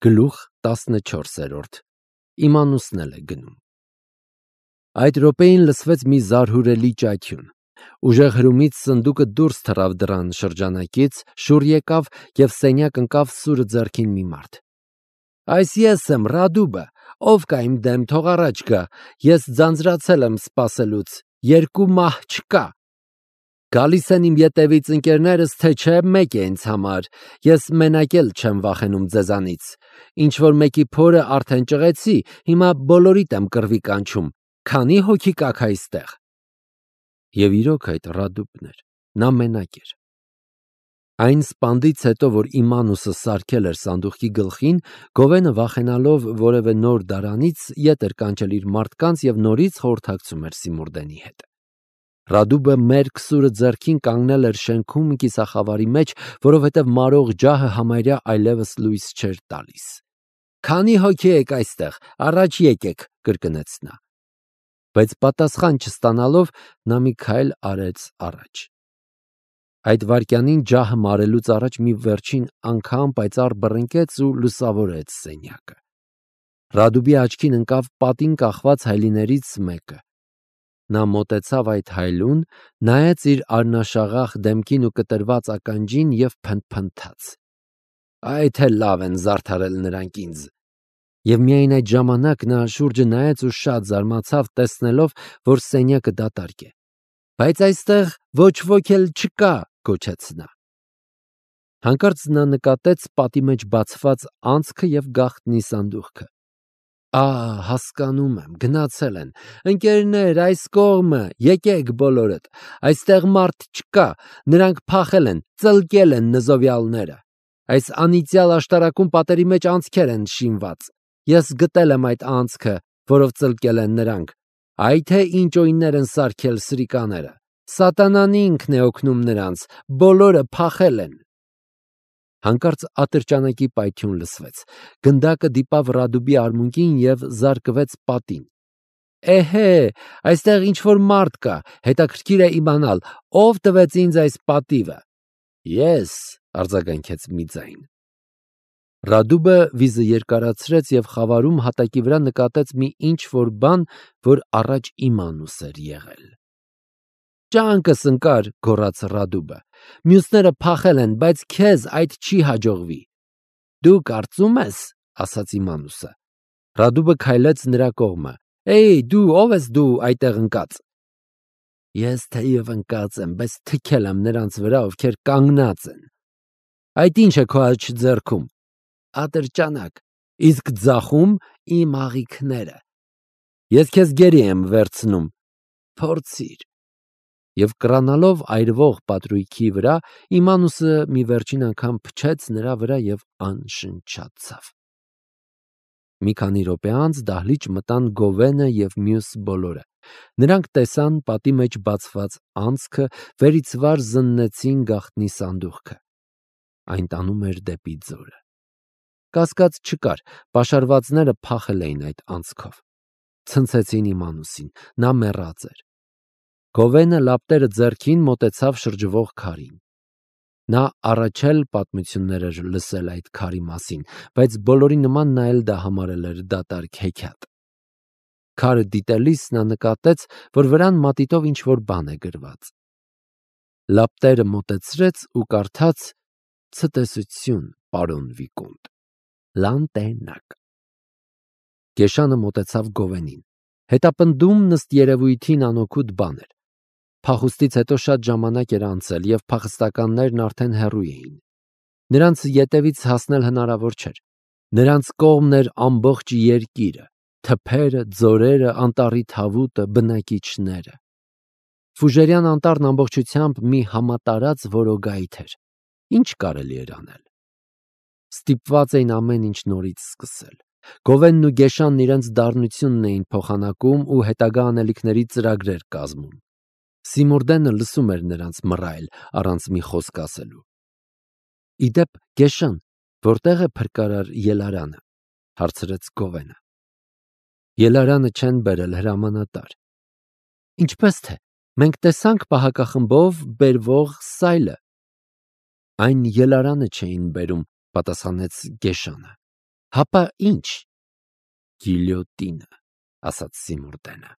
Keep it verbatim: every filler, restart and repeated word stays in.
Գլուխ տասնչորսերորդ Իմանուսն էլ է գնում։ Այդ րոպեին լսվեց մի զարհուրելի ճայթյուն։ Ուժեղ հրումից սնդուկը դուրս թռավ դռան շրջանակից, շուռ եկավ և սենյակ ընկավ սուրը ձեռքին մի մարդ։ Այս ես եմ, Ռադուբը, ով կա իմ դեմ, թող առաջ գա, ես ձանձրացել եմ սպասելուց, երկու մահ չկա։ Գալիս են իմ ետևից ընկերներս, թե չէ, մեկ է ինձ համար, ես մենակ էլ չեմ վախենում ձեզանից, ինչ որ մեկի փորը արդեն ճղեցի, հիմա բոլորիդ եմ կռվի կանչում, քանի հոգի կաք այստեղ։ Եվ իրոք այդ Ռադուբն էր, նա մենակ էր։ Այն սպանդից հետո, որ Իմանուսը սարքել էր սանդուղքի գլխին, Գովենը վախենալով որևէ նոր դարանից ետ էր կանչել իր մարդկանց և նորից խորհրդակցում էր Սիմուրդենի հետ։ Ռադուբը մերկ սուրը ձեռքին կանգնել էր շենքում կիսախավարի մեջ, որովհետև մարող ջահը համարյա այլևս լույս չէր տալիս։ Քանի հոգի եք այստեղ, առաջ եկեք, կրկնեց նա։ Բայց պատասխան չստանալով, նա մի քայլ արեց առաջ։ Այդ վայրկյանին ջահը մարելուց առաջ մի վերջին անգամ պայծառ բռնկեց ու լուսավորեց սենյակը։ Ռադուբի աչքին ընկավ պատին կախված հայլիներից մեկը։ Նա մոտեցավ այդ հայլուն, նայեց իր արնաշաղախ դեմքին ու կտրված ականջին և փնթփնթաց. Այ թե լավ են զարդարել նրանք ինձ։ Եվ միայն այդ ժամանակ նա շուրջը նայեց ու շատ զարմացավ, տեսնելով, որ սենյակը դատարկ է։ Բայց այստեղ ոչ ոք էլ չկա, գոչեց նա։ Հանկարծ նա նկատեց պատի մեջ բացված անցքը և գաղտնի սանդուղքը։ Ահ, հասկանում եմ, գնացել են, ընկերներ, այս կողմը, եկեք բոլորդ, այստեղ մարդ չկա, նրանք փախել են, ծլկել են նզովյալները, այս անիծյալ աշտարակում պատերի մեջ անցքեր են շինված, ես գտել եմ այդ անցքը, որով ծլկել են նրանք, այ թե ինչ օյններ են սարքել սրիկաները, սատանան ինքն է օգնում նրանց, բոլորը փախել են։ Հանկարծ ատրճանակի պայթյուն լսվեց, գնդակը դիպավ Ռադուբի արմունկին և զարկվեց պատին։ Էհե, այստեղ ինչ-որ մարդ կա, հետաքրքիր է իմանալ, ով տվեց ինձ այս պատիվը։ Ես, արձագանքեց մի ձայն։ Ռադուբը վիզը երկարացրեց և խավարում հատակի վրա նկատեց մի ինչ-որ բան, որ առաջ Իմանուս էր եղել։ Ճանկս ընկար, գոռաց Ռադուբը, մյուսները փախել են, բայց քեզ այդ չի հաջողվի։ Դու կարծում ես, ասաց Իմանուսը։ Ռադուբը քայլեց նրա կողմը։ Էй, դու ով ես դու այդտեղ ընկած։ Ես թեև ընկած եմ, բայց թքել եմ նրանց վրա, ովքեր կանգնած են։ Այդ ինչ է քո աջ ձեռքում։ Ատրճանակ, իսկ ձախում իմ աղիքները։ Ես քեզ գերի եմ վերցնում։ Փորձիր։ Եվ կռանալով այրվող պատրույգի վրա, Իմանուսը մի վերջին անգամ փչեց նրա վրա և անշնչացավ։ Մի քանի րոպե անց դահլիճ մտան Գովենը և մյուս բոլորը։ Նրանք տեսան պատի մեջ բացված անցքը, վերից վար զննեցին գաղտնի սանդուղքը։ Այն տանում էր դեպի ձորը։ Կասկած չկար, պաշարվածները փախել էին այդ անցքով։ Ցնցեցին Իմանուսին, նա մեռած էր։ Գովենը լապտերը ձեռքին մոտեցավ շրջվող քարին։ Նա առաջ էլ պատմություններ էր լսել այդ քարի մասին, բայց բոլորի նման նա էլ դա համարել էր դատարկ հեքիաթ։ Քարը դիտելիս նա նկատեց, որ վրան մատիտով ինչ-որ բան է գրված։ Լապտերը մոտեցրեց ու կարդաց. Ցտեսություն, պարոն Վիկոնտ, Լանտենակ։ Կեշանը մոտեցավ Գովենին։ Հետապնդում ըստ երևույթին անօգուտ բան էր։ Փախուստից հետո շատ ժամանակ էր անցել, և փախստականներն արդեն հեռու էին։ Նրանց ետևից հասնել հնարավոր չէր։ Նրանց կողմն էր ամբողջ երկիրը, թփերը, ձորերը, անտառի թավուտը, բնակիչները։ Ֆուժերյան անտառն ամբողջությամբ մի համատարած որոգայթ էր։ Ինչ կարելի էր անել։ Ստիպված էին ամեն ինչ նորից սկսել։ Գովենն ու Գեշանն իրենց դառնությունն էին փոխանակում ու հետագա անելիքների ծրագրեր կազմում։ Սիմուրդենը լսում էր նրանց մռայլ, առանց մի խոսք ասելու։ Իդեպ, Գեշան, որտեղ է փրկարար Ելարանը, հարցրեց Գովենը։ Ելարանը չեն բերել հրամանատար։ Ինչպես թե, մենք տեսանք պահակախմբով բերվող սայլը։ Այն Ելարանը չէին բերում, պատասխանեց Գեշանը։ Հապա ինչ։ Գիլյոտինը, ասաց Սիմուրդենը։